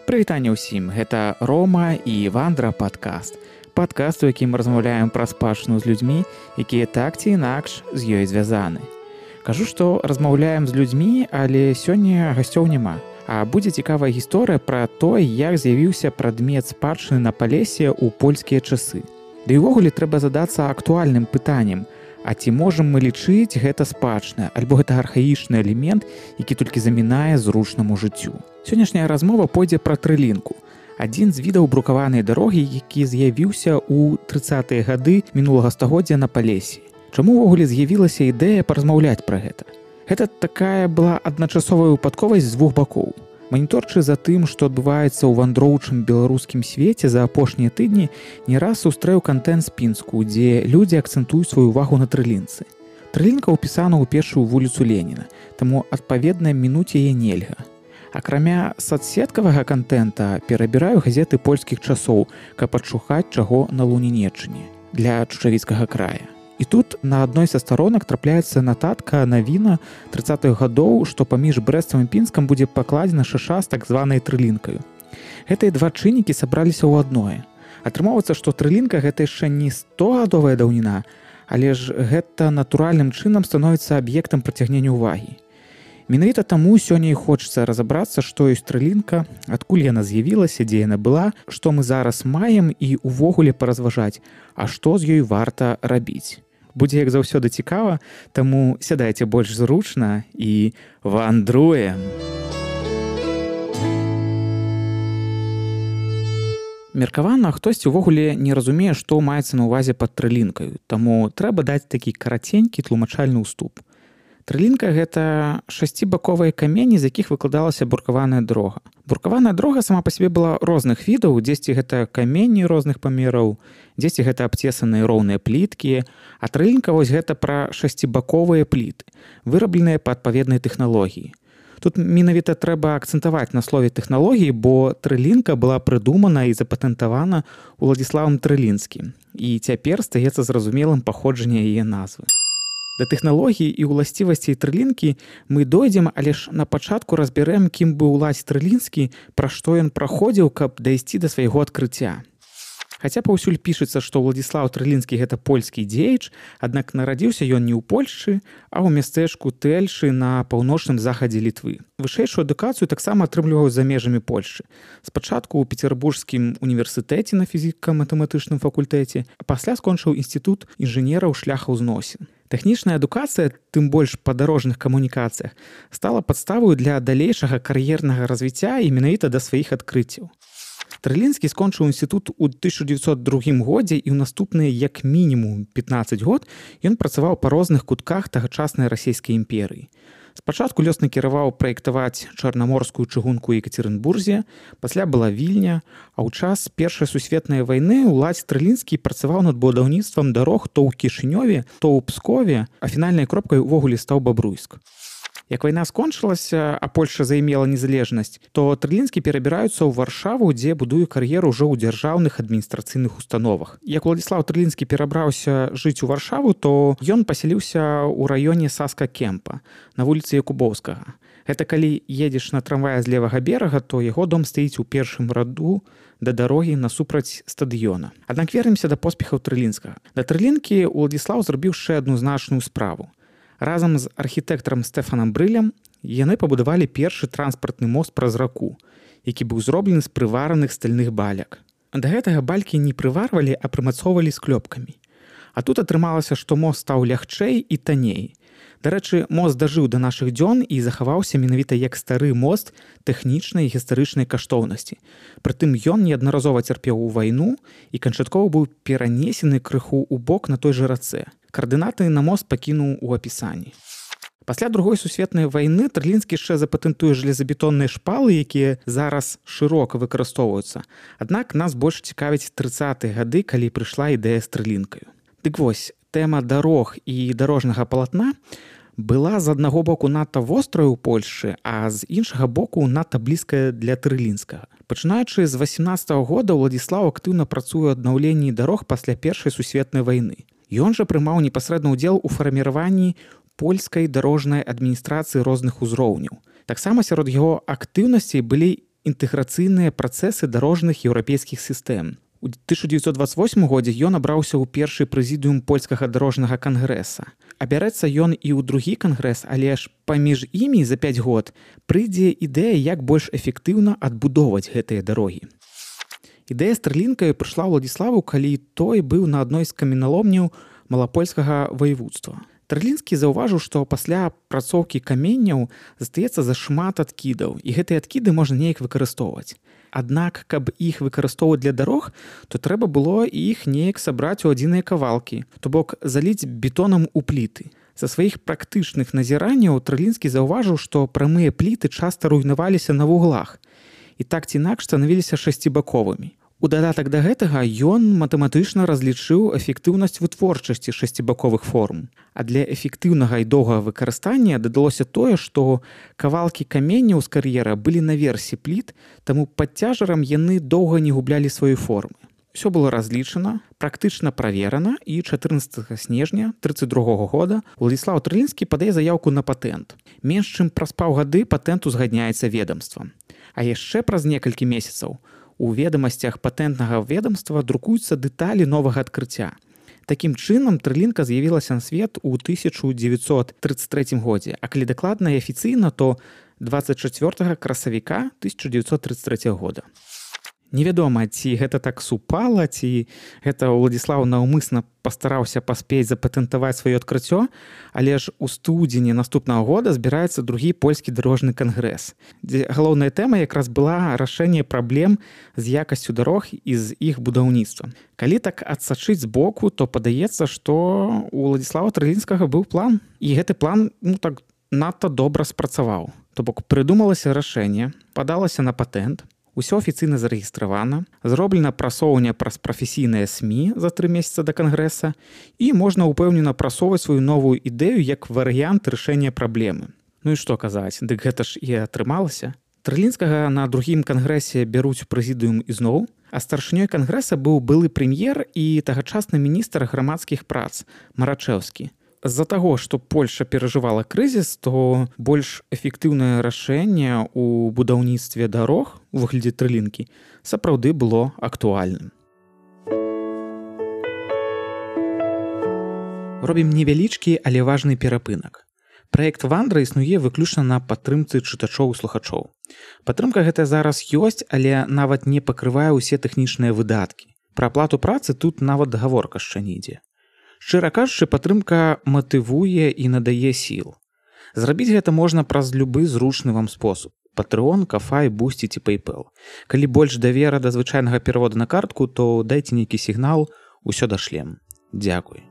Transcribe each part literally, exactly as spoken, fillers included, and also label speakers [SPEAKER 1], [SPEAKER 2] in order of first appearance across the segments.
[SPEAKER 1] Прывітанне ўсім, гэта Рома і Вандра падкаст. Падкаст, у якім мы размаўляем пра спадчыну з людзьмі, якія так ці інакш з ёй звязаны. Кажу, што размаўляем з людзьмі, але сёння гасцёў няма. А будзе цікавая гісторыя пра тое, як з'явіўся прадмет спадчыны на Палесе ў польскія часы. Ды і ўвогуле трэба задацца актуальным пытаннем: а ці можам мы лічыць гэта спадчына, альбо гэта архаічны элемент, які толькі замінае зручнаму жыццю? Сённяшняя размова пойдзе пра трылінку. Адзін з відаў брукаванай дарогі, які з'явіўся ў трыццатыя гады мінулага стагоддзя на Палесе. Чаму ўвогуле з'явілася ідэя паразмаўляць пра гэта? Гэта такая была адначасовая выпадковасць з двух бакоў. Маніторчы за тым, што адбываецца ў вандроўчым беларускім свеце за апошнія тыдні, не раз сустрэў кантэнт з Пінску, дзе людзі акцэнтуюць сваю ўвагу на трылінцы. Трылінка ўпісана ў першую вуліцу Леніна, таму адпаведна мінуць яе нельга. Акрамя садсеткавага кантэнта перабіраю газеты польскіх часоў, каб адшукаць чаго на Лунінеччыне для Чучавіцкага края. І тут на адной са старонак трапляецца нататка навіна трыццатых гадоў, што паміж Брэстам і Пінскам будзе пакладзена шаша з так званай трылінкаю. Гэтыя два чыннікі сабраліся ў адное. Атрымоўваецца, што трылінка гэта яшчэ не стогадовая даўніна, але ж гэта натуральным чынам становіцца аб'ектам прыцягнення ўвагі. Менавіта таму сёння і хочацца разабрацца, што ёсць трылінка, адкуль яна з'явілася, дзе яна была, што мы зараз маем і ўвогуле паразважаць, а што з ёй варта рабіць. Будзе як заўсёды цікава, таму сядайце больш зручна і вандруем. Меркавана, хтосьці ўвогуле не разумее, што маецца на ўвазе пад трылінкаю, таму трэба даць такі караценькі тлумачальны ўступ. Трылінка – гэта шасцібаковыя камені, з якіх выкладалася буркаваная дарога. Буркаваная дарога сама па сабе была розных відаў, дзесьці гэта камені розных памераў, дзесьці гэта абцесаныя роўныя пліткі, а трылінка вось гэта пра шасцібаковыя пліты, вырабленыя па адпаведнай тэхналогіі. Тут менавіта трэба акцэнтаваць на слове тэхналогіі, бо трылінка была прыдумана і запатэнтавана Уладзіславам Трылінскім, і цяпер стаецца зразумелым паходжанне яе назвы. Да тэхналогіі і ўласцівасцей трылінкі мы дойдзем, але ж на пачатку разбярэм, кім быў Уладзь Трылінскі, пра што ён праходзіў, каб дайсці да свайго адкрыцця. Хаця паўсюль пішацца, што Уладзіслаў Трылінскі гэта польскі дзеяч, аднак нарадзіўся ён не ў Польшчы, а ў мястэчку Тэльшы на паўночным захадзе Літвы. Вышэйшую адукацыю таксама атрымліваў за межамі Польшчы. Спачатку ў Пецярбургскім універсітэце на фізіка-матэматычным факультэце, а пасля скончыў інстытут інжынераў шляхаў зносін. Тэхнічная адукацыя, тым больш па дарожных камунікацыях, стала падставою для далейшага кар'ернага развіцця і менавіта да сваіх адкрыццяў. Трылінскі скончыў інстытут у тысяча дзевяцьсот другім годзе, і ў наступныя як мінімум пятнаццаць год ён працаваў па розных кутках тагачаснай расійскай імперыі. Спачатку лёс накіраваў праектаваць чарнаморскую чыгунку ў Екацерынбурзе, пасля была Вільня, а ў час Першай сусветнай вайны Уладзь Трылінскі працаваў над будаўніцтвам дарог то ў Кішынёве, то ў Пскове, а фінальнай кропкай увогуле стаў Бабруйск. Як вайна скончылася, а Польшча займела незалежнасць, то Трылінскі перабіраюцца ў Варшаву, дзе будуе кар'еру ўжо ў дзяржаўных адміністрацыйных установах. Як Уладзіслаў Трылінскі перабраўся жыць у Варшаву, то ён пасяліўся ў раёне Саска-Кемпа, на вуліцы Якубоўскага. Гэта калі едзеш на трамвае з левага берага, то яго дом стаіць у першым раду да дарогі насупраць стадыёна. Аднак вернемся да поспехаў Трылінскага. Да Трылінкі Уладзіслаў зрабіў яшчэ адну значную справу. Разам з архітэктарам Стэфанам Брылем яны пабудавалі першы транспартны мост праз раку, які быў зроблены з прывараных стальных баляк. Да гэтага балькі не прыварвалі, а прымацоўвалі склёпкамі. А тут атрымалася, што мост стаў лягчэй і танней. Дарэчы, мост дажыў да нашых дзён і захаваўся менавіта як стары мост тэхнічнай і гістарычнай каштоўнасці. Прытым ён неаднаразова цярпеў у вайну і канчаткова быў перанесены крыху ў бок на той жа рацэ. Каардынаты на мост пакінуў у апісанні. Пасля другой сусветнай вайны Трылінскі яшчэ запатэнтуе жалезабетонныя шпалы, якія зараз шырока выкарыстоўваюцца. Аднак нас больш цікавяць трыццатыя гады, калі прыйшла ідэя з трылінкаю. Дык вось, тэма дарог і дарожнага палатна была з аднаго боку надта вострая ў Польшчы, а з іншага боку надта блізкая для Трылінскага. Пачынаючы з васемнаццатага года Уладзіслаў актыўна працуе ў аднаўленні дарог пасля Першай сусветнай вайны. Ён жа прымаў непасрэдны ўдзел у фарміраванні польскай дарожнай адміністрацыі розных узроўняў. Таксама сярод яго актыўнасцей былі інтэграцыйныя працэсы дарожных еўрапейскіх сістэм. У тысяча дзевяцьсот двадцать восьмым годзе ён абраўся ў першы прэзідыум польскага дарожнага кангрэса. Абярэцца ён і ў другі кангрэс, але ж паміж імі за пяць год прыйдзе ідэя, як больш эфектыўна адбудоўваць гэтыя дарогі. Ідэя з трылінкаю прыйшла Уладзіславу, калі той быў на адной з каменяломняў малапольскага ваеводства. Трылінскі заўважыў, што пасля працоўкі каменняў застаецца зашмат адкідаў, і гэтыя адкіды можна неяк выкарыстоўваць. Аднак, каб іх выкарыстоўваць для дарог, то трэба было іх неяк сабраць у адзіныя кавалкі, то бок заліць бетонам у пліты. Са сваіх практычных назіранняў Трылінскі заўважыў, што прамыя пліты часта руйнаваліся на вуглах і так ці інакш станавіліся шасцібаковымі. У дадатак да гэтага ён матэматычна разлічыў эфектыўнасць вытворчасці шасцібаковых форм. А для эфектыўнага і доўгага выкарыстання дадалося тое, што кавалкі каменняў з кар'ера былі наверсе пліт, таму пад цяжарам яны доўга не гублялі свае формы. Усё было разлічана, практычна праверана, і чатырнаццатага снежня трыццаць другога года Уладзіслаў Трылінскі падае заяўку на патэнт. Менш чым праз паўгады патэнт узгадняецца ведамствам. А яшчэ праз некалькі месяцаў у ведамасцях патэнтнага ведамства друкуюцца дэталі новага адкрыцця. Такім чынам, трылінка з'явілася на свет у тысяча дзевяцьсот трыццаць трэцім годзе, а калі дакладна і афіцыйна, то дваццаць чацвёртага красавіка тысяча дзевяцьсот трыццаць трэцяга года. Невядома, ці гэта так супала, ці гэта Уладзіслаў наўмысна пастараўся паспець запатэнтаваць сваё адкрыццё, але ж у студзені наступнага года збіраецца другі польскі дарожны кангрэс, дзе галоўная тэма якраз была рашэнне праблем з якасцю дарог і з іх будаўніцтвам. Калі так адсачыць збоку, то падаецца, што у Уладзіслава Трылінскага быў план, і гэты план, ну так, надта добра спрацаваў. То бок прыдумалася рашэнне, падалася на патэнт, усё афіцыйна зарэгістравана, зроблена прасоўванне праз прафесійныя СМІ за тры месяца да кангрэса, і можна ўпэўнена прасоўваць сваю новую ідэю як варыянт рашэння праблемы. Ну і што казаць, дык гэта ж і атрымалася. Трылінскага на другім кангрэсе бяруць у прэзідыум ізноў, а старшынёй кангрэса быў былы прэм'ер і тагачасны міністр грамадскіх прац Марачэўскі. З-за таго, што Польша перажывала крызіс, то больш эфектыўнае рашэнне ў будаўніцтве дарог у выглядзе трылінкі сапраўды было актуальным. Робім невялічкі, але важны перапынак. Праект «Вандра» існуе выключна на падтрымцы чытачоў і слухачоў. Падтрымка гэтая зараз ёсць, але нават не пакрывае ўсе тэхнічныя выдаткі. Пра аплату працы тут нават гаворка яшчэ не ідзе. Шчыра кажучы, падтрымка матывуе і надае сіл. Зрабіць гэта можна праз любы зручны вам спосаб. Патрэон, Кафай, Бусці ці PayPal. Калі больш давера да звычайнага пераводу на картку, то дайце нейкі сігнал, усё дашлем. Дзякуй.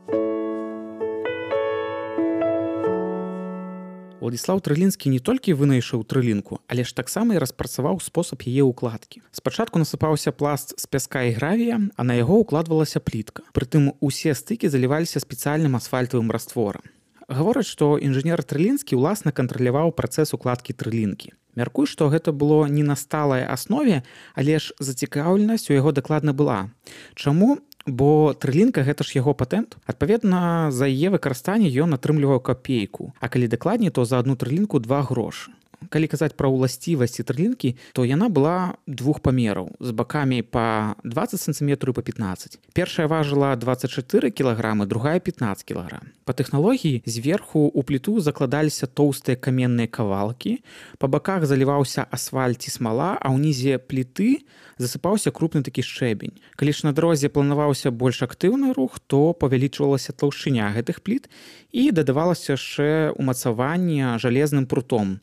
[SPEAKER 1] Уладзіслаў Трылінскі не толькі вынайшаў трылінку, але ж таксама і распрацаваў спосаб яе ўкладкі. Спачатку насыпаўся пласт з пяска і гравія, а на яго ўкладвалася плітка. Прытым усе стыкі заліваліся спецыяльным асфальтавым растворам. Гавораць, што інжынер Трылінскі ўласна кантраляваў працэс укладкі трылінкі. Мяркую, што гэта было не на сталай аснове, але ж зацікаўленасць у яго дакладна была. Чаму? Бо трылінка гэта ж яго патэнт. Адпаведна, за яе выкарыстанне ён атрымліваў капейку, а калі дакладней, то за адну трылінку два грошы. Калі казаць пра ўласцівасці трылінкі, то яна была двух памераў, з бакамі па дваццаць сантыметраў і па пятнаццаць. Першая важыла дваццаць чатыры кілаграмы, другая пятнаццаць кілаграм. Па тэхналогіі зверху ў пліту закладаліся тоўстыя каменныя кавалкі, па баках заліваўся асфальт ці смала, а ўнізе пліты засыпаўся крупны такі шчэбень. Калі ж на дарозе планаваўся больш актыўны рух, то павялічвалася таўшчыня гэтых пліт і дадавалася яшчэ умацаванне жалезным прутом,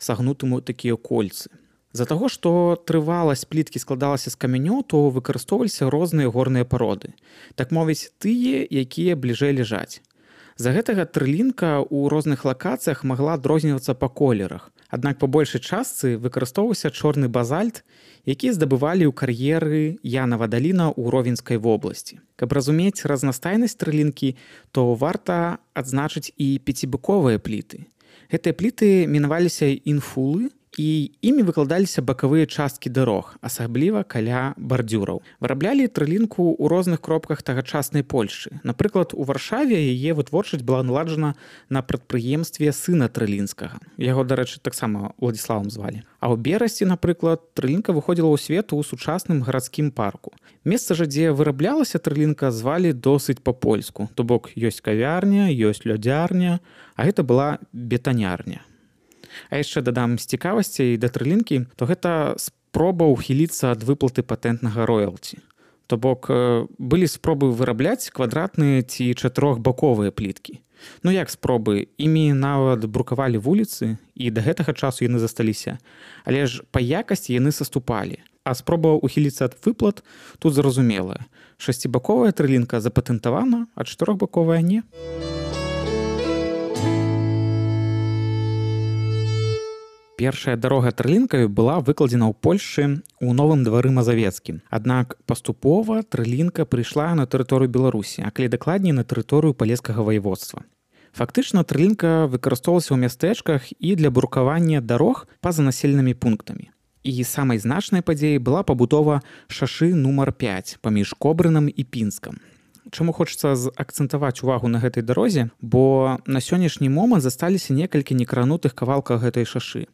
[SPEAKER 1] сагнутым у такія кольцы. З-за таго, што трываласць пліткі складалася з камянёў, то выкарыстоўваліся розныя горныя пароды. Так мовіць, тыя, якія бліжэй ляжаць. З-за гэтага трылінка ў розных лакацыях магла адрознівацца па колерах. Аднак па большай частцы выкарыстоўваўся чорны базальт, які здабывалі ў кар'еры Янава даліна ў Ровенскай вобласці. Каб разумець разнастайнасць трылінкі, то варта адзначыць і пяцібаковыя пліты. Гэтыя пліты мінаваліся інфулы І імі выкладаліся бакавыя часткі дарог, асабліва каля бардзюраў. Выраблялі трылінку ў розных кропках тагачаснай Польшчы. Напрыклад, у Варшаве яе вытворчасць была наладжана на прадпрыемстве сына Трылінскага. Яго, дарэчы, таксама Уладзіславам звалі. А ў Берасці, напрыклад, трылінка выходзіла ў свет у сучасным гарадскім парку. Месца жа, дзе выраблялася трылінка, звалі досыць па-польску. То бок ёсць кавярня, ёсць лёдзярня, а гэта была бетанярня. А яшчэ дадам з цікавасцей да трылінкі, то гэта спроба ўхіліцца ад выплаты патэнтнага роялці. То бок былі спробы вырабляць квадратныя ці чатырохбаковыя пліткі. Ну як спробы? Імі нават брукавалі вуліцы, і да гэтага часу яны засталіся. Але ж па якасці яны саступалі. А спроба ўхіліцца ад выплат тут зразумелая. Шасцібаковая трылінка запатэнтавана, а чатырохбаковая не. Першая дарога трылінкаю была выкладзена ў Польшчы ў новым двары Мазавецкім. Аднак паступова трылінка прыйшла на тэрыторыю Беларусі, а калі дакладней на тэрыторыю палескага ваеводства. Фактычна трылінка выкарыстоўвалася ў мястэчках і для брукавання дарог па-за населенымі пунктамі. І самай значнай падзеяй была пабудова шашы нумар пяць паміж Кобрынам і Пінскам. Чаму хочацца акцэнтаваць увагу на гэтай дарозе, бо на сённяшні момант засталіся некалькі некранутых кавалкаў гэтай шашы.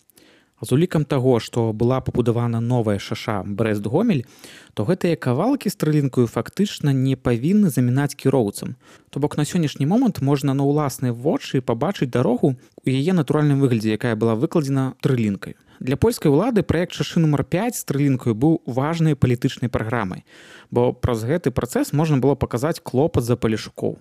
[SPEAKER 1] З улікам таго, што была пабудавана новая шаша Брэст-Гомель, то гэтыя кавалкі з трылінкаю фактычна не павінны замінаць кіроўцам. То бок на сённяшні момант можна на ўласныя вочы пабачыць дарогу ў яе натуральным выглядзе, якая была выкладзена трылінкаю. Для польскай улады праект шашы нумар пяць з трылінкаю быў важнай палітычнай праграмай, бо праз гэты працэс можна было паказаць клопат за палешукоў,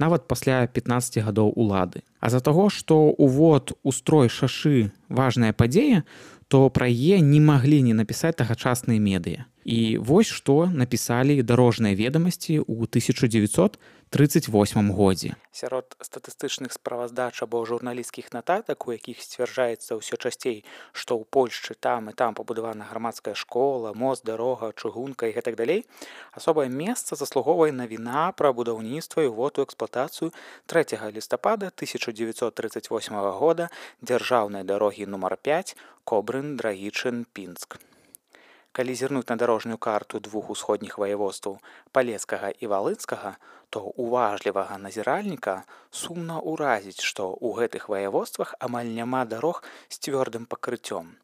[SPEAKER 1] нават пасля пятнаццаці гадоў улады. А з-за таго, што увод у строй шашы важная падзея, то пра яе не маглі не напісаць тагачасныя медыя. І вось што напісалі дарожныя ведамасці ў тысяча дзевяцьсот тридцать восьмым годзе. Сярод статыстычных справаздач або журналісцкіх нататак, у якіх сцвярджаецца ўсё часцей, што ў Польшчы там і там пабудавана грамадская школа, мост, дарога, чыгунка і гэтак далей, асобае месца заслугоўвае навіна пра будаўніцтва і ўвод у эксплуатацыю трэцяга лістапада тысяча дзевяцьсот тридцать восьмага года дзяржаўнай дарогі нумар пяць Кобрын, Драгічын, Пінск. Калі зірнуць на дарожную карту двух усходніх ваяводстваў Палескага і Валынскага, то уважлівага назіральніка сумна ўразіць, што ў гэтых ваяводствах амаль няма дарог з цвёрдым пакрыццём.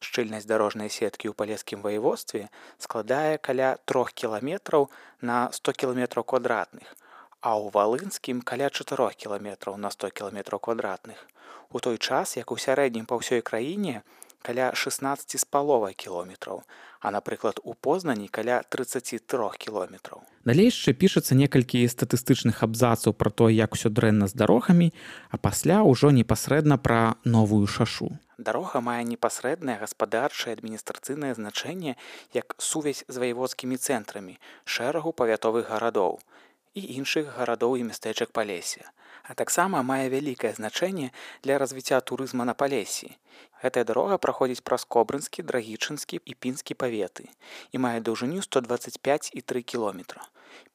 [SPEAKER 1] Шчыльнасць дарожнай сеткі ў палескім ваяводстве складае каля трох кіламетраў на сто кіламетраў квадратных, а ў Валынскім каля чатырох кіламетраў на сто кіламетраў квадратных. У той час, як у сярэднім па ўсёй краіне, каля шестнаццаць з паловай кіламетраў, а, напрыклад, у Познані каля тридцать три кіламетраў. Далей яшчэ пішацца некалькі статыстычных абзацаў пра то, як усё дрэнна з дарогамі, а пасля ўжо непасрэдна пра новую шашу. Дарога мае непасрэднае гаспадарчае адміністрацыйнае значэнне як сувязь з ваяводскімі цэнтрамі, шэрагу павятовых гарадоў і іншых гарадоў і мястэчак Палесся, а таксама мае вялікае значэнне для развіцця турызма на Палессі. Гэтая дарога праходзіць праз Кобрынскі, Драгічынскі і Пінскі паветы і мае даўжыню сто двадцать пять і тры кіламетра.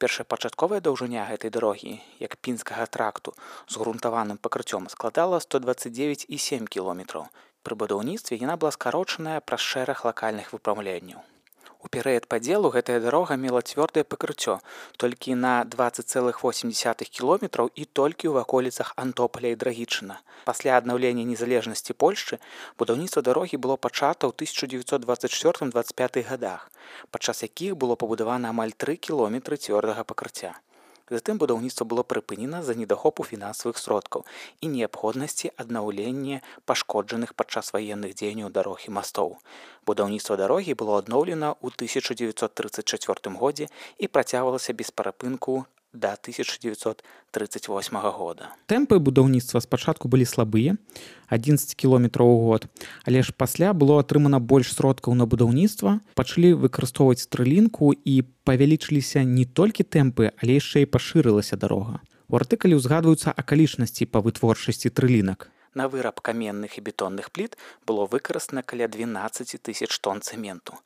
[SPEAKER 1] Першапачатковая даўжыня гэтай дарогі, як пінскага тракту, з грунтаваным пакрыццём складала сто двадцать девять і семь кіламетраў. Пры будаўніцтве яна была скарочаная праз шэраг лакальных выпраўленняў. У перыяд падзелу гэтая дарога мела цвёрдае пакрыццё толькі на двадцать целых восемь десятых кіламетраў і толькі ў ваколіцах Антополя і Драгічына. Пасля аднаўлення незалежнасці Польшчы будаўніцтва дарогі было пачата ў тысяча дзевяцьсот двадцать четвёртым — двадцать пятых гадах, падчас якіх было пабудавана амаль тры кіламетры цвёрдага пакрыцця. Затым будаўніцтва было прыпынена з-за недахопу фінансавых сродкаў і неабходнасці аднаўлення пашкоджаных падчас ваенных дзеянняў дарог і мастоў. Будаўніцтва дарогі было адноўлена ў тысяча дзевяцьсот тридцать четвёртым годзе і працягвалася без перапынку да тысяча дзевяцьсот тридцать восьмага года. Тэмпы будаўніцтва спачатку былі слабыя, адзінаццаць кіламетраў у год, але ж пасля было атрымана больш сродкаў на будаўніцтва, пачалі выкарыстоўваць трылінку і павялічыліся не толькі тэмпы, але яшчэ і пашырылася дарога. У артыкуле ўзгадваюцца акалічнасці па вытворчасці трылінак. На выраб каменных і бетонных пліт было выкарыстана каля двенадцаць тысяч тонн цэменту.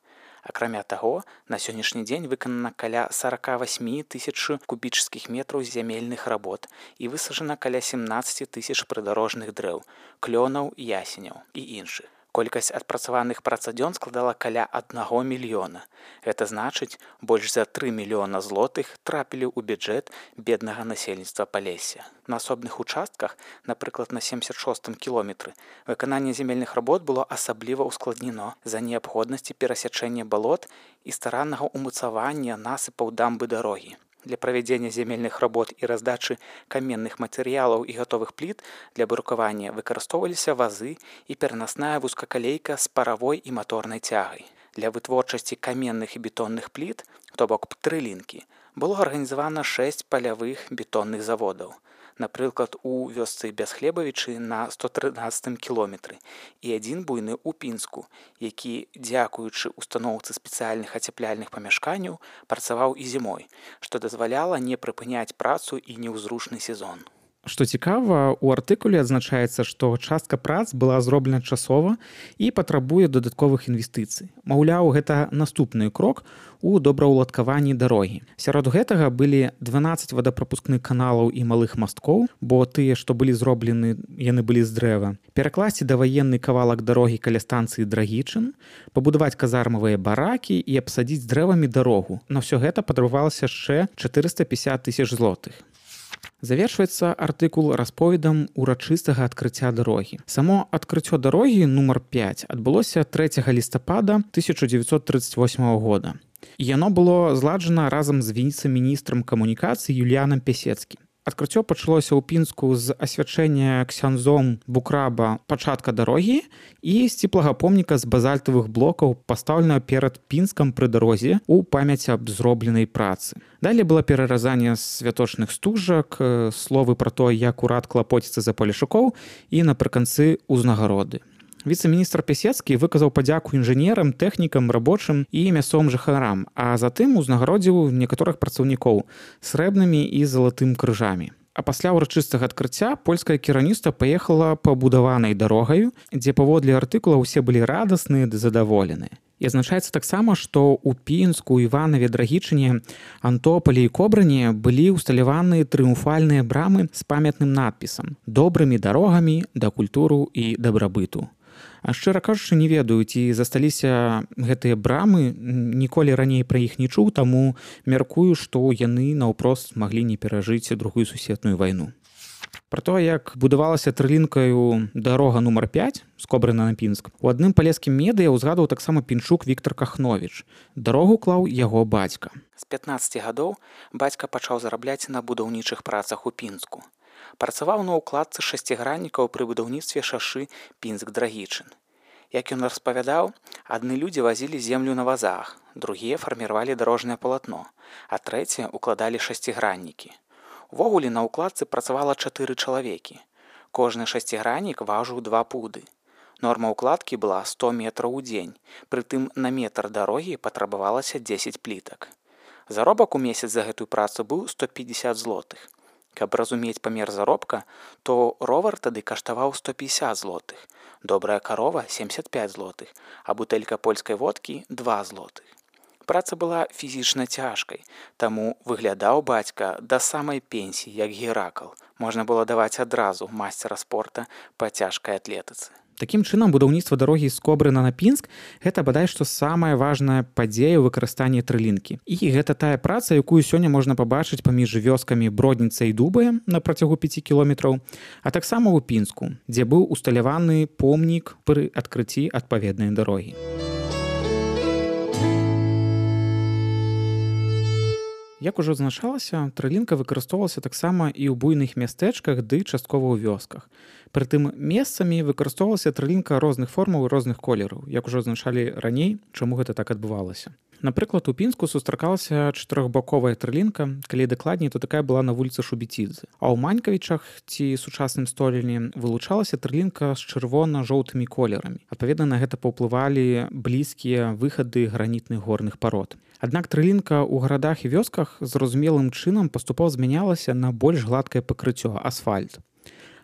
[SPEAKER 1] Акрамя таго, на сённяшні дзень выканана каля сорок восемь тысяч кубічных метраў зямельных работ і высаджана каля семнадцать тысяч прыдарожных дрэў, клёнаў, ясеняў і іншых. Колькасць адпрацаваных працадзён складала каля аднаго мільёна. Гэта значыць, больш за тры мільёна злотых трапілі ў бюджэт беднага насельніцтва Палесся. На асобных участках, напрыклад, на семьдесят шостым кіlometrы, выкананне земельных работ было асабліва ускладнено з-за неабходнасці перасячэння балот і стараннага ўмацавання насыпаў дамбы дарогі. Для правядзення земельных работ і раздачы каменных матэрыялаў і гатовых пліт для брукавання выкарыстоўваліся вазы і перанасная вузкакалейка з паравой і маторнай цягай. Для вытворчасці каменных і бетонных пліт, то бок трылінкі, было арганізавана шэсць палявых бетонных заводаў. Напрыклад, у вёсцы Бясхлебавічы на сто трынаццатым кіlometrы і адзін буйны ў Пінску, які, дзякуючы устаноўцы спецыяльных ацяпляльных памяшканняў, працаваў і зімой, што дазваляла не прыпыняць працу і неўзручны сезон. Што цікава, у артыкуле адзначаецца, што частка прац была зроблена часова і патрабуе дадатковых інвестыцый. Маўляў, гэта наступны крок у добраўладкаванні дарогі. Сярод гэтага былі дванаццаць вадапрапускных каналаў і малых масткоў, бо тыя, што былі зроблены, яны былі з дрэва. Перакласці даваенны кавалак дарогі каля станцыі Драгічын, пабудаваць казармавыя баракі і абсадзіць дрэвамі дарогу. На ўсё гэта патрабавалася яшчэ чатырыста пятьдесят тысяч злотых. Завершваецца артыкул расповедам урачыстага адкрыцця дарогі. Само адкрыццё дарогі нумар пяць адбылося трэцяга лістапада тысяча дзевяцьсот тридцать восьмого года. І яно было зладжана разам з віцэ-міністрам камунікацыі Юліянам Пясецкім. Адкрыццё пачалося ў Пінску з асвячэння ксяндзом Букраба пачатка дарогі і сціплага помніка з базальтавых блокаў, пастаўленага перад Пінскам пры дарозе ў памяць аб зробленай працы. Далей было пераразанне святочных стужак, словы пра то, як урад клапоціцца за палешукоў і напрыканцы ўзнагароды. Віцэ-міністр Пясецкі выказаў падзяку інжынерам, тэхнікам, рабочым і мясцовым жыхарам, а затым узнагародзіў некаторых працаўнікоў срэбнымі і залатым крыжамі. А пасля ўрачыстага адкрыцця польскае кіраўніцтва паехала пабудаванай дарогаю, дзе паводле артыкула ўсе былі радасныя ды задаволеныя. І адзначаецца таксама, што ў Пінску, Іванаве, Драгічыне, Антополі і Кобрыне былі ўсталяваны трыумфальныя брамы з памятным надпісам «Добрымі дарогамі да культуру і дабрабыту». А шчыра кажучы, не ведаю, ці засталіся гэтыя брамы, ніколі раней пра іх не чуў, таму мяркую, што яны наўпрост маглі не перажыць другую сусветную вайну. Пра то, як будавалася трылінкаю дарога нумар пяць з Кобрына на Пінск, у адным палескім медыа ўзгадваў таксама пінчук Віктор Кахновіч. Дарогу клаў яго бацька. З пятнаццаці гадоў бацька пачаў зарабляць на будаўнічых працах у Пінску. Працаваў на ўкладцы шасціграннікаў пры будаўніцтве шашы Пінск-Драгічын. Як ён распавядаў, адны людзі вазілі землю на вазах, другія фарміравалі дарожнае палатно, а трэція укладалі шасціграннікі. Увогуле на ўкладцы працавала чатыры чалавекі. Кожны шасціграннік важыў два пуды. Норма ўкладкі была сто метраў у дзень, прытым на метр дарогі патрабавалася дзесяць плітак. Заробак у месяц за гэтую працу быў сто пятьдесят злотых. Каб разумець памер заробка, то ровар тады каштаваў сто пятьдесят злотых, добрая карова семьдесят пять злотых, а бутэлька польскай водкі два злотых. Праца была фізічна цяжкай, таму выглядаў бацька да самай пенсіі, як Геракл. Можна было даваць адразу майстара спорта па цяжкай атлетыцы. Такім чынам, будаўніцтва дарогі з Кобрына на Пінск – гэта бадай што самая важная падзея ў выкарыстанні трылінкі. І гэта тая праца, якую сёння можна пабачыць паміж вёскамі Бродніца і Дубая на працягу пяці кіlometrаў, а таксама ў Пінску, дзе быў усталяваны помнік пры адкрыцці адпаведнай дарогі. Як ужо адзначалася, трылінка выкарыстоўвалася таксама і ў буйных мястэчках ды часткова ў вёсках. Прытым месцамі выкарыстоўвалася трылінка розных формаў і розных колераў, як ужо адзначалі раней, чаму гэта так адбывалася. Напрыклад, у Пінску сустракалася чатырохбаковая трылінка, калі дакладней, то такая была на вуліцы Шубіцідзе. А ў Манькавічах ці сучасным Століне вылучалася трылінка з чырвона-жоўтымі колерамі. Адпаведна, на гэта паўплывалі блізкія выхады гранітных горных парод. Аднак трылінка ў гарадах і вёсках зразумелым чынам паступова змянялася на больш гладкае пакрыццё – асфальт.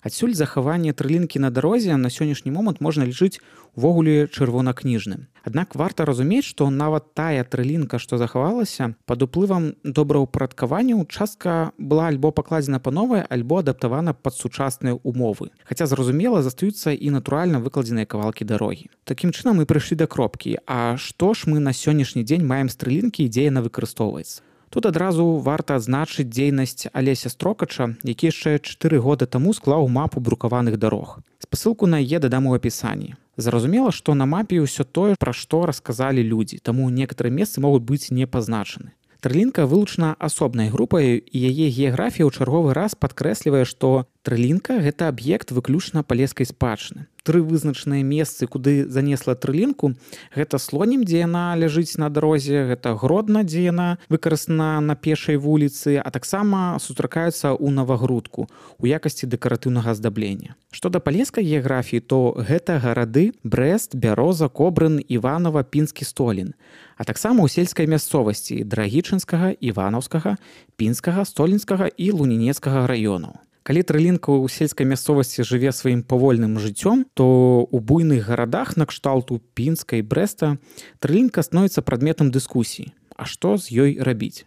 [SPEAKER 1] Адсюль захаванне трылінкі на дарозе на сённяшні момант можна лічыць увогуле чырвонакніжным. Аднак варта разумець, што нават тая трылінка, што захавалася, пад уплывам добраўпарадкавання частка была альбо пакладзена па новай, альбо адаптавана пад сучасныя умовы. Хаця, зразумела, застаюцца і натуральна выкладзеныя кавалкі дарогі. Такім чынам мы прыйшлі да кропкі. А што ж мы на сённяшні дзень маем з трылінкі і дзе яна выкарыстоўваецца? Тут адразу варта адзначыць дзейнасць Алеся Строкача, які яшчэ чатыры года таму склаў мапу брукаваных дарог. Спасылку на яе дадам у апісанні. Зразумела, што на мапе ўсё тое, пра што расказалі людзі, таму некаторыя месцы могуць быць не пазначаны. Трылінка вылучана асобнай групай, і яе геаграфія ў чарговы раз падкрэслівае, што трылінка – гэта аб'ект выключна палескай спадчыны. Тры вызначаныя месцы, куды занесла трылінку, гэта Слонім, дзе яна ляжыць на дарозе, гэта Гродна, дзе яна выкарыстана на пешай вуліцы, а таксама сустракаюцца ў Навагрудку у якасці дэкаратыўнага аздаблення. Што да палескай геаграфіі, то гэта гарады Брэст, Бяроза, Кобрын, Іванова, Пінскі, Столін, а таксама ў сельскай мясцовасці Драгічынскага, Іванаўскага, Пінскага, Столінскага і Лунінецкага раёнаў. Калі трылінка ў сельскай мясцовасці жыве сваім павольным жыццём, то ў буйных гарадах накшталту Пінска і Брэста трылінка становіцца прадметам дыскусіі. А што з ёй рабіць?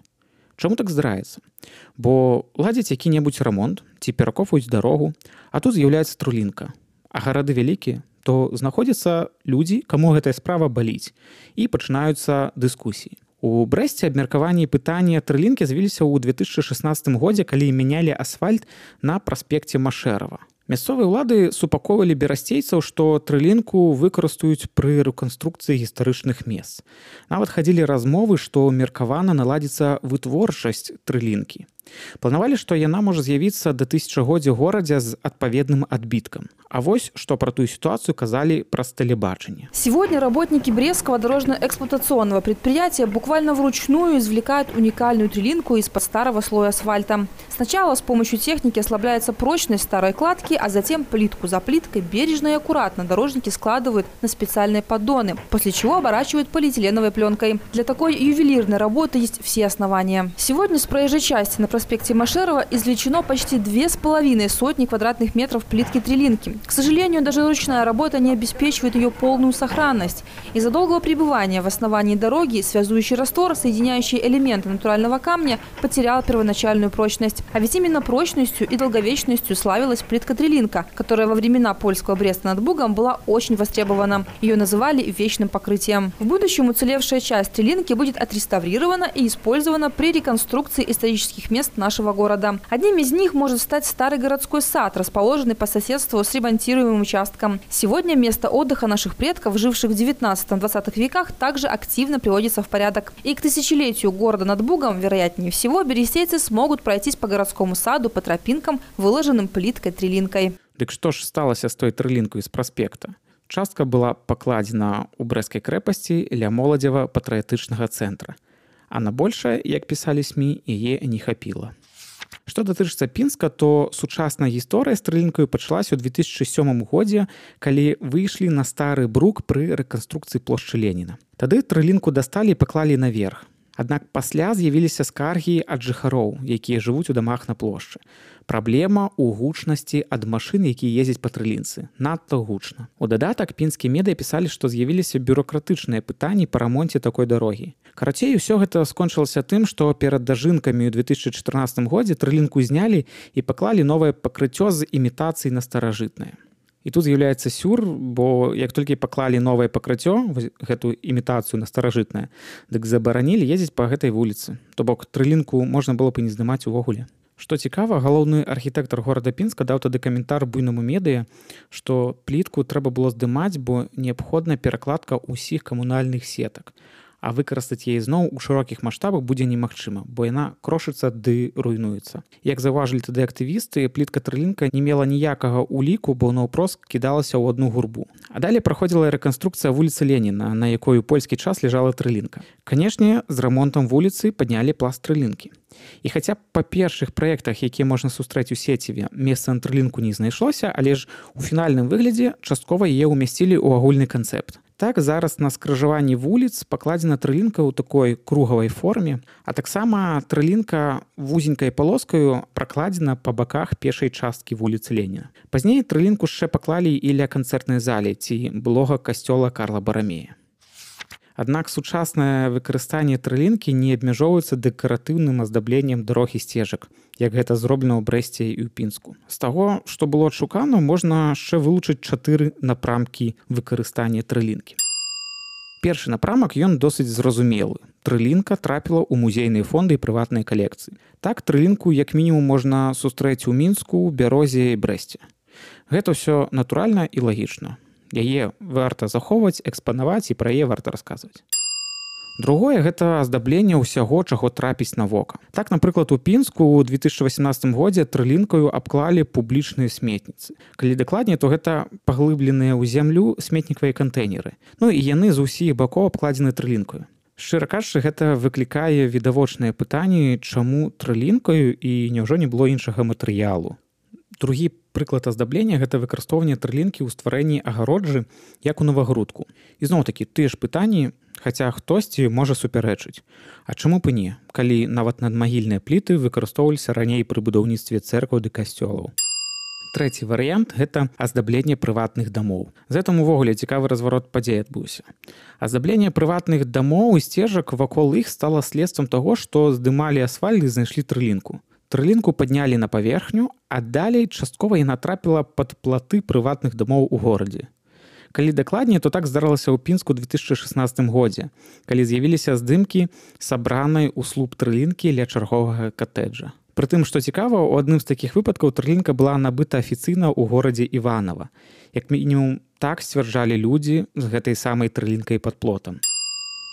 [SPEAKER 1] Чаму так здараецца? Бо ладзяць які-небудзь рамонт ці перакопваюць дарогу, а тут з'яўляецца трылінка. А гарады вялікія, то знаходзяцца людзі, каму гэтая справа баліць, і пачынаюцца дыскусіі. У Брэсце абмеркаванні пытання трылінкі з'явіліся ў две тысячы шаснаццатым годзе, калі мянялі асфальт на праспекце Машэрава. Мясцовыя ўлады супакоўвалі берасцейцаў, што трылінку выкарыстаюць пры рэканструкцыі гістарычных мест. Нават хадзілі размовы, што меркавана наладзіцца вытворчасць трылінкі. Планавалі, што яна можа з'явіцца да тысячагоддзя горадзе з адпаведным адбіткам. А вось, што про ту ситуацию казали праз телебачение.
[SPEAKER 2] Сегодня работники Брестского дорожно-эксплуатационного предприятия буквально вручную извлекают уникальную трилинку из-под старого слоя асфальта. Сначала с помощью техники ослабляется прочность старой кладки, а затем плитку за плиткой бережно и аккуратно дорожники складывают на специальные поддоны, после чего оборачивают полиэтиленовой пленкой. Для такой ювелирной работы есть все основания. Сегодня с проезжей части на проспекте Машерова извлечено почти две с половиной сотни квадратных метров плитки трилинки. К сожалению, даже ручная работа не обеспечивает ее полную сохранность. Из-за долгого пребывания в основании дороги связующий раствор, соединяющий элементы натурального камня, потерял первоначальную прочность. А ведь именно прочностью и долговечностью славилась плитка-трилинка, которая во времена польского Бреста над Бугом была очень востребована. Ее называли вечным покрытием. В будущем уцелевшая часть трилинки будет отреставрирована и использована при реконструкции исторических мест нашего города. Одним из них может стать старый городской сад, расположенный по соседству с ремонтируемым участком. Сегодня место отдыха наших предков, живших в девятнадцатом-двадцатых веках, также активно приводится в порядок. И к тысячелетию города над Бугом, вероятнее всего, берестейцы смогут пройтись по городскому саду по тропинкам, выложенным плиткой-трилинкой.
[SPEAKER 1] Дык што ж сталася з той трылінкай з праспекта? Частка была пакладзена ў Брэсцкай крэпасці ля моладзева патрыятычнага цэнтра. А на большае, як пісалі СМІ, яе не хапіла. Што датычыцца Пінска, то сучасная гісторыя з трылінкаю пачалася ў две тысячы сёмым годзе, калі выйшлі на стары брук пры рэканструкцыі плошчы Леніна. Тады трылінку дасталі і паклалі наверх. Аднак пасля з'явіліся скаргі ад жыхароў, якія жывуць у дамах на плошчы. Праблема ў гучнасці ад машын, якія ездзяць па трылінцы. Надта гучна. У дадатак пінскія медыя пісалі, што з'явіліся бюрократычныя пытанні па рамонце такой дарогі. Карацей, усё гэта скончылася тым, што перад дажынкамі ў две тысячы чатырнаццатым годзе трылінку знялі і паклалі новае пакрыццё з імітацыяй на старажытнае. І тут з'яўляецца сюр, бо як толькі паклалі новае пакрыццё, гэтую імітацыю на старажытнае, дык забаранілі ездзіць па гэтай вуліцы. То бок трылінку можна было б і не здымаць увогуле. Што цікава, галоўны архітэктар горада Пінска даў тады каментар буйнаму медыя, што плітку трэба было здымаць, бо неабходная перакладка ўсіх камунальных сетак. А выкарыстаць яе зноў у шырокіх маштабах будзе немагчыма, бо яна крошыцца ды руйнуецца. Як заўважылі тады актывісты, плітка-трылінка не мела ніякага ўліку, бо наўпрост кідалася ў адну гурбу. А далей праходзіла рэканструкцыя вуліцы Леніна, на якой у польскі час ляжала трылінка. Канешне, з рамонтам вуліцы паднялі пласт трылінкі. І хаця па першых праектах, якія можна сустрэць у сеціве, месца на трылінку не знайшлося, але ж у фінальным выглядзе часткова яе ўмясцілі ў агульны канцэпт. Так зараз на скрыжаванні вуліц пакладзена трылінка ў такой кругавай форме, а таксама трылінка вузенькай палоскаю пракладзена па баках пешай часткі вуліцы Леніна. Пазней трылінку яшчэ паклалі і ля канцэртнай залі ці былога касцёла Карла Барамея. Аднак сучаснае выкарыстанне трылінкі не абмяжоўваецца дэкаратыўным аздабленнем дарог і сцежак, як гэта зроблена ў Брэсце і ў Пінску. З таго, што было адшукана, можна яшчэ вылучыць чатыры напрамкі выкарыстання трылінкі. Першы напрамак ён досыць зразумелы. Трылінка трапіла ў музейныя фонды і прыватныя калекцыі. Так трылінку як мінімум можна сустрэць у Мінску, Бярозе і Брэсце. Гэта ўсё натуральна і лагічна. Яе варта захоўваць, экспанаваць і пра яе варта расказваць. Другое – гэта аздабленне ўсяго, чаго трапіць на вока. Так, напрыклад, у Пінску ў две тысячы васемнаццатым годзе трылінкаю абклалі публічныя сметніцы. Калі дакладней, то гэта паглыбленыя ў зямлю сметнікавыя кантэйнеры. Ну і яны з усіх бакоў абкладзены трылінкаю. Шчыра кажучы, гэта выклікае відавочныя пытанні, чаму трылінкаю і няўжо не было іншага матэрыялу. Другі прыклад аздаблення – гэта выкарыстоўванне трылінкі ў стварэнні агароджы, як у Навагрудку. І зноў-такі тыя ж пытанні, хаця хтосьці можа супярэчыць. А чаму б і не, калі нават надмагільныя пліты выкарыстоўваліся раней пры будаўніцтве цэркваў ды касцёлаў? Трэці варыянт – гэта аздабленне прыватных дамоў. З гэтым увогуле цікавы разварот падзей адбыўся. Аздабленне прыватных дамоў і сцежак вакол іх стала следствам таго, што здымалі асфальт і знайшлі трылінку. Трылінку паднялі на паверхню, а далей часткова яна трапіла пад платы прыватных дамоў у горадзе. Калі дакладней, то так здарылася ў Пінску ў две тысячы шаснаццатым годзе, калі з'явіліся здымкі сабранай у слуп трылінкі ля чарговага катэджа. Прытым, што цікава, у адным з такіх выпадкаў трылінка была набыта афіцыйна ў горадзе Іванава. Як мінімум, так сцвярджалі людзі з гэтай самай трылінкай пад плотам.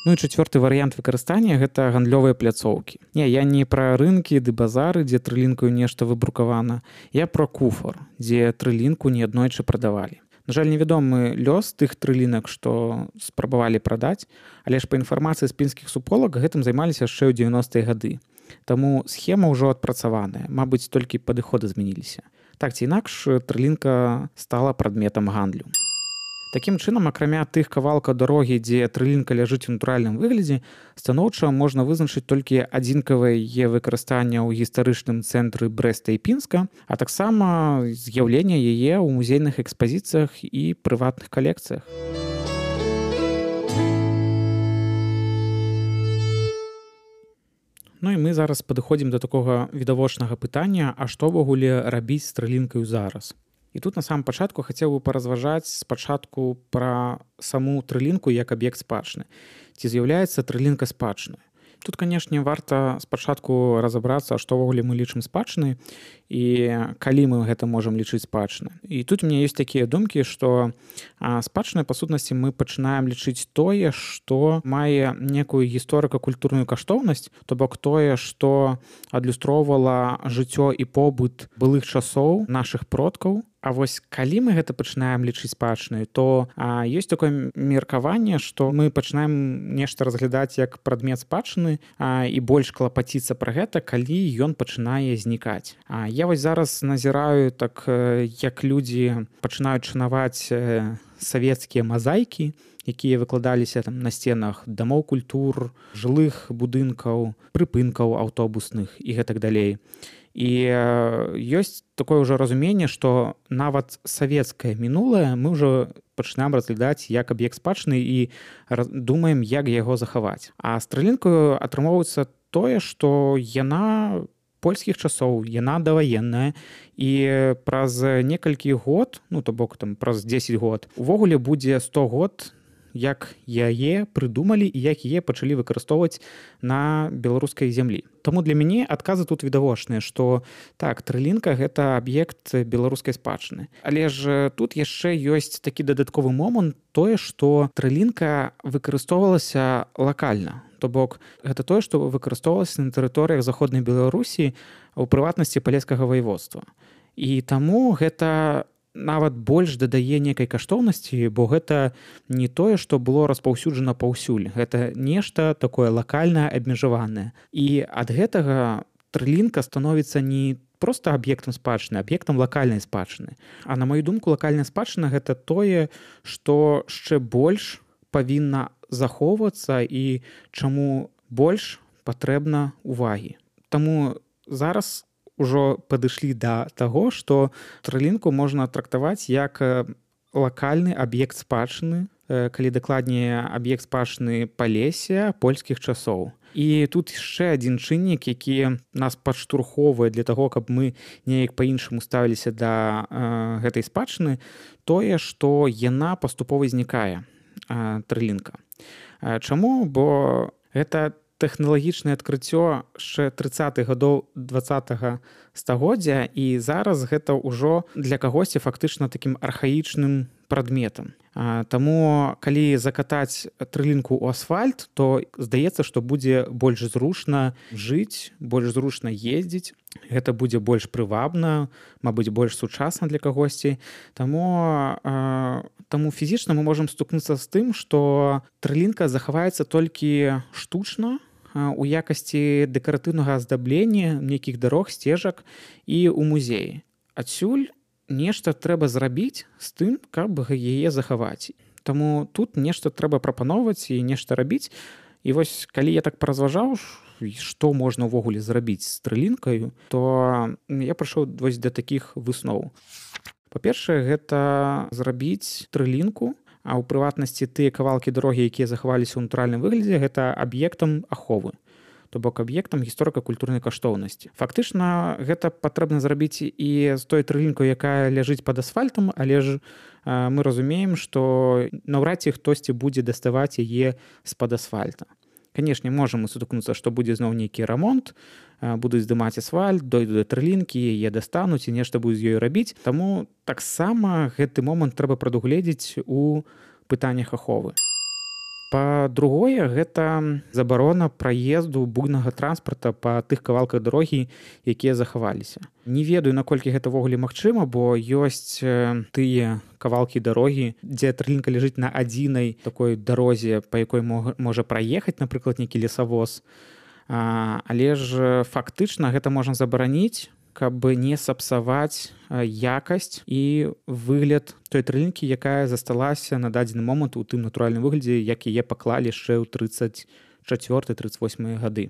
[SPEAKER 1] Ну і чацвёрты варыянт выкарыстання – гэта гандлёвыя пляцоўкі. Не, я не пра рынкі ды базары, дзе трылінкаю нешта выбрукавана. Я пра куфар, дзе трылінку неаднойчы прадавалі. На жаль, невядомы лёс тых трылінак, што спрабавалі прадаць, але ж па інфармацыі з пінскіх суполак гэтым займаліся яшчэ ў дзевяностыя гады. Таму схема ўжо адпрацаваная, мабыць, толькі падыходы змяніліся. Так ці інакш, трылінка стала прадметам гандлю. Такім чынам, акрамя тых кавалкаў дарогі, дзе трылінка ляжыць у натуральным выглядзе, станоўча можна вызначыць толькі адзінкавае яе выкарыстанне ў гістарычным цэнтры Брэста і Пінска, а таксама з'яўленне яе ў музейных экспазіцыях і прыватных калекцыях. Ну і мы зараз падыходзім да такога відавочнага пытання, а што ўвогуле рабіць з трылінкаю зараз? І тут на самом пачатку хацеў бы паразважаць спачатку пра саму трылінку як аб'ект спадчыны. Ці з'яўляецца трылінка спадчынай? Тут, канешне, варта спачатку разабрацца, што ўвогуле мы лічым спадчынай і калі мы гэта можам лічыць спадчынай. І тут у мяне ёсць такія думкі, што спадчынай, па сутнасці, мы пачынаем лічыць тое, што мае некую гісторыка-культурную каштоўнасць, то бок тое, што адлюстроўвала жыццё і побыт былых часоў нашых продкаў. А вось калі мы гэта пачынаем лічыць спадчынай, то а, ёсць такое меркаванне, што мы пачынаем нешта разглядаць як прадмет спадчыны а, і больш клапаціцца пра гэта, калі ён пачынае знікаць. А, я вось зараз назіраю, так, як людзі пачынаюць шанаваць савецкія мазаікі, якія выкладаліся там на сценах дамоў культур, жылых будынкаў, прыпынкаў аўтобусных і гэтак далей. І ёсць такое ўжо разуменне, што нават савецкае мінулае мы ўжо пачынаем разглядаць як аб'ект спадчыны і думаем, як яго захаваць. А з трылінкаю атрымоўваецца тое, што яна польскіх часоў, яна даваенная, і праз некалькі год, ну то бок там праз дзесяць год, увогуле будзе сто год, як яе прыдумалі і як яе пачалі выкарыстоўваць на беларускай зямлі. Таму для мяне адказы тут відавочныя, што так, трылінка – гэта аб'ект беларускай спадчыны. Але ж тут яшчэ ёсць такі дадатковы момант, тое, што трылінка выкарыстоўвалася лакальна. То бок, гэта тое, што выкарыстоўвалася на тэрыторыях Заходнай Беларусі, у прыватнасці палескага ваеводства. І таму гэта нават больш дадае некай каштоўнасці, бо гэта не тое, што было распаўсюджана паўсюль. Гэта нешта такое лакальнае, абмежаванае. І ад гэтага трылінка становіцца не проста аб'ектам спадчыны, аб'ектам лакальнай спадчыны. А на маю думку, лакальная спадчына – гэта тое, што яшчэ больш павінна захоўвацца і чаму больш патрэбна увагі. Таму зараз ужо падышлі да таго, што трылінку можна трактаваць як лакальны аб'ект спадчыны, калі дакладней аб'ект спадчыны Палесся польскіх часоў. І тут яшчэ адзін чыннік, які нас падштурхоўвае для таго, каб мы неяк па-іншаму ставіліся да э, гэтай спадчыны, тое, што яна паступова знікае, э, трылінка. Э, чаму? Бо гэта тэхналагічнае адкрыццё яшчэ трыццатых гадоў дваццатага стагоддзя, і зараз гэта ўжо для кагосьці фактычна такім архаічным прадметам. Таму калі закатаць трылінку ў асфальт, то здаецца, што будзе больш зручна жыць, больш зручна ездзіць, гэта будзе больш прывабна, мабыць, больш сучасна для кагосьці. Таму, таму фізічна мы можам стукнуцца з тым, што трылінка захаваецца толькі штучна у якасці дэкаратыўнага аздаблення нейкіх дарог, сцежак і ў музеі. Адсюль нешта трэба зрабіць з тым, каб яе захаваць. Таму тут нешта трэба прапаноўваць і нешта рабіць. І вось калі я так паразважаў, што можна ўвогуле зрабіць з трылінкаю, то я прыйшоў вось да такіх высноў. Па-першае, гэта зрабіць трылінку, а ў прыватнасці тыя кавалкі дарогі, якія захаваліся ў натуральным выглядзе, гэта аб'ектам аховы, то бок аб'ектам гісторыка-культурнай каштоўнасці. Фактычна гэта патрэбна зрабіць і з той трылінкой, якая ляжыць пад асфальтам, але ж э, мы разумеем, што наўрад ці хтосьці будзе даставаць яе з-пад асфальта. Канешне, можам мы сутыкнуцца, што будзе зноў нейкі рамонт, э, будуць здымаць асфальт, дойдуць да трылінкі, яе дастануць і нешта будуць з ёй рабіць. Таму таксама гэты момант трэба прадугледзець у пытаннях аховы. Па-другое, гэта забарона праезду буйнага транспарта па тых кавалках дарогі, якія захаваліся. Не ведаю, наколькі гэта ўвогуле магчыма, бо ёсць тыя кавалкі дарогі, дзе трылінка ляжыць на адзінай такой дарозе, па якой можа праехаць, напрыклад, нейкі лесавоз. Але ж фактычна гэта можна забараніць, каб не сапсаваць якасць і выгляд той трылінкі, якая засталася на дадзены момант у тым натуральным выглядзе, як яе паклалі яшчэ ў трыццаць чацвёртыя трыццаць восьмыя гады.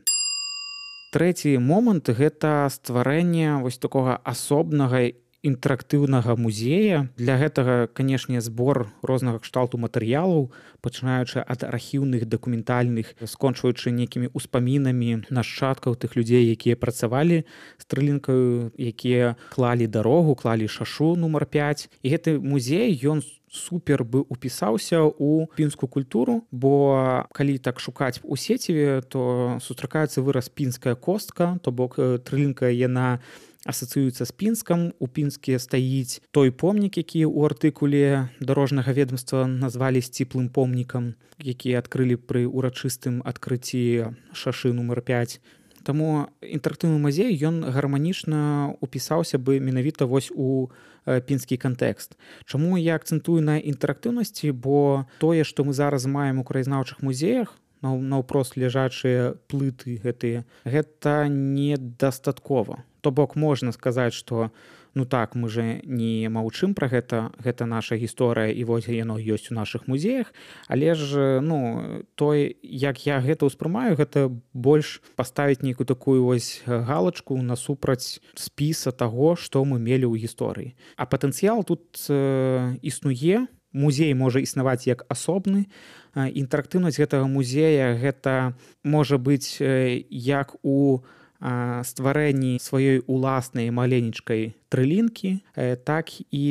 [SPEAKER 1] Трэці момант – гэта стварэнне вось такога асобнага інтэрактыўнага музея. Для гэтага, канешне, збор рознага кшталту матэрыялаў, пачынаючы ад архіўных, дакументальных, скончваючы нейкімі ўспамінамі нашчадкаў тых людзей, якія працавалі з трылінкаю, якія клалі дарогу, клалі шашу нумар пяць. І гэты музей, ён супер бы упісаўся ў пінскую культуру, бо калі так шукаць у сеціве, то сустракаецца выраз пінская костка, то бок трылінка яна асацыюецца з Пінскам. У Пінске стаіць той помнік, які ў артыкуле дарожнага ведомства назвалі сціплым помнікам, які адкрылі пры урачыстым адкрыцці шашы нумар пяць. Таму інтэрактыўны музей, ён гарманічна упісаўся бы менавіта вось у пінскі кантэкст. Чаму я акцэнтую на інтэрактыўнасці? Бо тое, што мы зараз маем у краязнаўчых музеях, наўпрост ляжачыя плыты гэтыя, гэта недастаткова. То бок можна сказаць, што ну так, мы же не маўчым пра гэта, гэта наша гісторыя, і вось яно ёсць у нашых музеях, але ж ну, той, як я гэта ўспрымаю, гэта больш паставіць нейкую такую вось галачку насупраць спіса таго, што мы мелі ў гісторыі. А патэнцыял тут э, існуе, музей можа існаваць як асобны. Інтэрактыўнасць гэтага музея гэта можа быць як у стварэнні сваёй уласнай маленечкай трылінкі, так і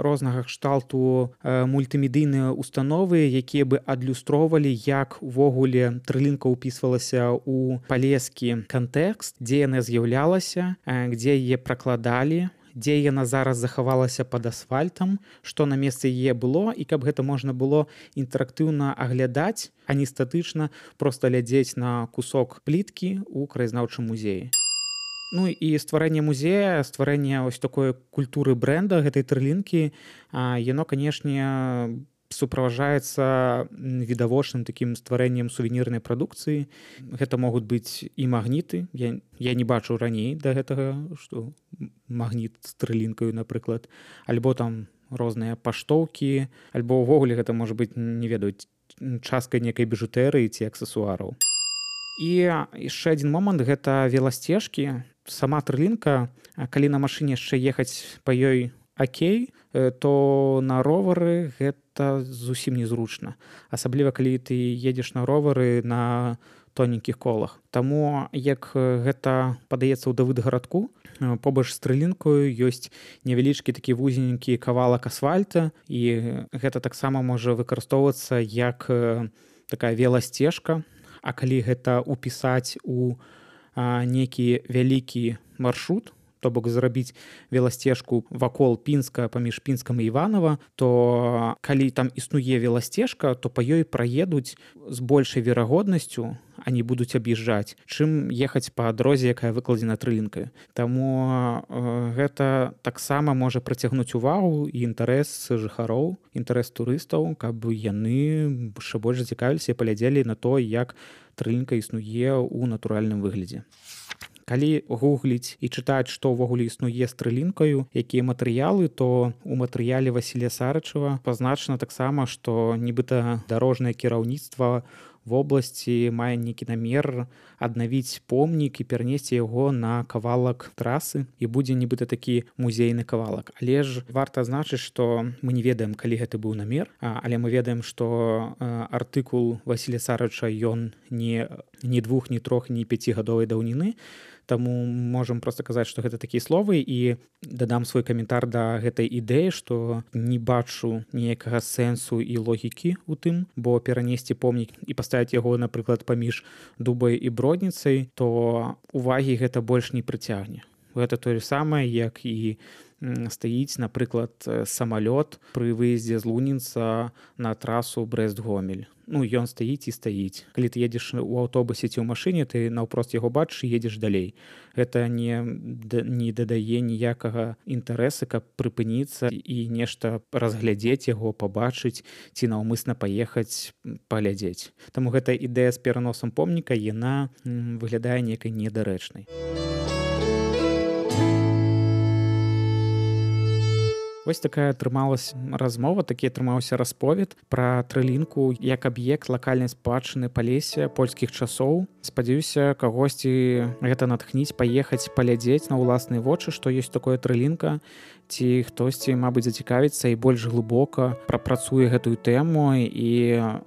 [SPEAKER 1] рознага кшталту мультымедыйныя установы, якія бы адлюстроўвалі, як увогуле трылінка ўпісвалася ў палескі кантэкст, дзе яна з'яўлялася, дзе яе пракладалі, дзе яна зараз захавалася пад асфальтам, што на месцы яе было, і каб гэта можна было інтэрактыўна аглядаць, а не статычна проста глядзець на кусок пліткі ў краязнаўчым музеі. Ну і стварэнне музея, стварэнне ось такой культуры брэнда гэтай трылінкі, яно, канешне, суправаджаецца відавочным такім стварэннем сувенірнай прадукцыі. Гэта могуць быць і магніты. Я, я не бачу раней да гэтага, што магніт з трылінкаю, напрыклад, альбо там розныя паштоўкі, альбо ўвогуле гэта можа быць, не ведаю, часткай некай біжутэрыі ці аксесуараў. І яшчэ адзін момант — гэта веласцежкі. Сама трылінка, калі на машыне яшчэ ехаць па ёй акей, то на ровары гэта зусім незручна. Асабліва, калі ты едзеш на ровары на тоненькіх колах. Таму, як гэта падаецца ў Давыдгарадку, побач з трылінкаю ёсць невялічкі такі вузенькі кавалак асфальта, і гэта таксама можа выкарыстоўвацца як такая веласцежка. А калі гэта ўпісаць у нейкі вялікі маршрут, то бок зрабіць веласцежку вакол Пінска паміж Пінскам і Іванова, то калі там існуе веласцежка, то па ёй праедуць з большай верагоднасцю, а не будуць аб'язджаць, чым ехаць па дарозе, якая выкладзена трылінкаю. Таму э, гэта таксама можа прыцягнуць увагу і інтарэс жыхароў, інтарэс турыстаў, каб яны яшчэ больш зацікавіліся і паглядзелі на то, як трылінка існуе ў натуральным выглядзе. Калі гугліць і чытаць, што ўвогуле існуе з трылінкаю, якія матэрыялы, то у матэрыяле Васілія Сарычева пазначана таксама, што нібыта дарожнае кіраўніцтва вобласці мае нейкі намер аднавіць помнік і перанесці яго на кавалак трасы, і будзе нібыта такі музейны кавалак. Але ж варта адзначыць, што мы не ведаем, калі гэты быў намер, але мы ведаем, што артыкул Васілія Сарыча ён не, не двух, не трох, не пяцігадовай даўніны. Таму можам проста казаць, што гэта такія словы, і дадам свой каментар да гэтай ідэі, што не бачу ніякага сэнсу і логікі ў тым, бо перанесці помнік і паставіць яго, напрыклад, паміж Дубай і Бродніцай, то увагі гэта больш не прыцягне. Гэта тое самае, як і стаіць, напрыклад, самалёт пры выездзе з Лунінца на трасу Брэст-Гомель. Ну, ён стаіць і стаіць. Калі ты едзеш у аўтобусе ці ў машыне, ты наўпрост яго бачыш і едзеш далей. Гэта не, не дадае ніякага інтарэса, каб прыпыніцца і нешта разглядзець яго, пабачыць ці наўмысна паехаць паглядзець. Таму гэта ідэя з пераносам помніка, яна выглядае некай недарэчнай. Вось такая атрымалась размова, такі атрымаўся расповед пра трылінку як аб'ект лакальнай спадчыны Палесся польскіх часоў. Спадзяюся, кагосьці гэта натхніць паехаць паглядзець на ўласныя вочы, што ёсць такое трылінка, ці хтосьці, мабыць, зацікавіцца і больш глыбока прапрацуе гэтую тэму і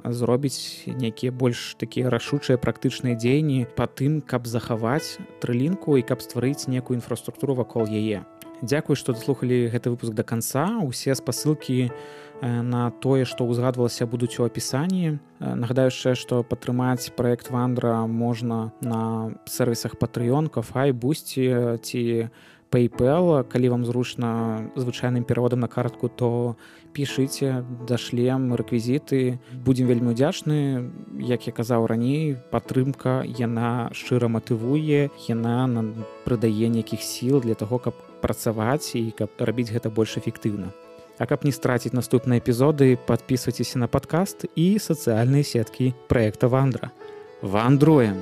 [SPEAKER 1] зробіць нейкія больш такія рашучыя практычныя дзеянні па тым, каб захаваць трылінку і каб стварыць некую інфраструктуру вакол яе. Дзякуй, што даслухалі гэты выпуск да канца. Усе спасылкі на тое, што ўзгадвалася, будуць у апісанні. Нагадаю яшчэ, што падтрымаць праект Вандра можна на сервісах Patreon, Ko-fi, Boosty ці PayPal. Калі вам зручна звычайным пераводам на картку, то пішыце, дашлем рэквізіты. Будзем вельмі ўдзячны. Як я казаў раней, падтрымка, яна шчыра матывуе, яна нам прыдае нейкіх сіл для таго, каб працаваць і каб рабіць гэта больш эфектыўна. А каб не страціць наступныя эпізоды, падпісвайцеся на падкаст і сацыяльныя сеткі праекта Вандра. Вандруем!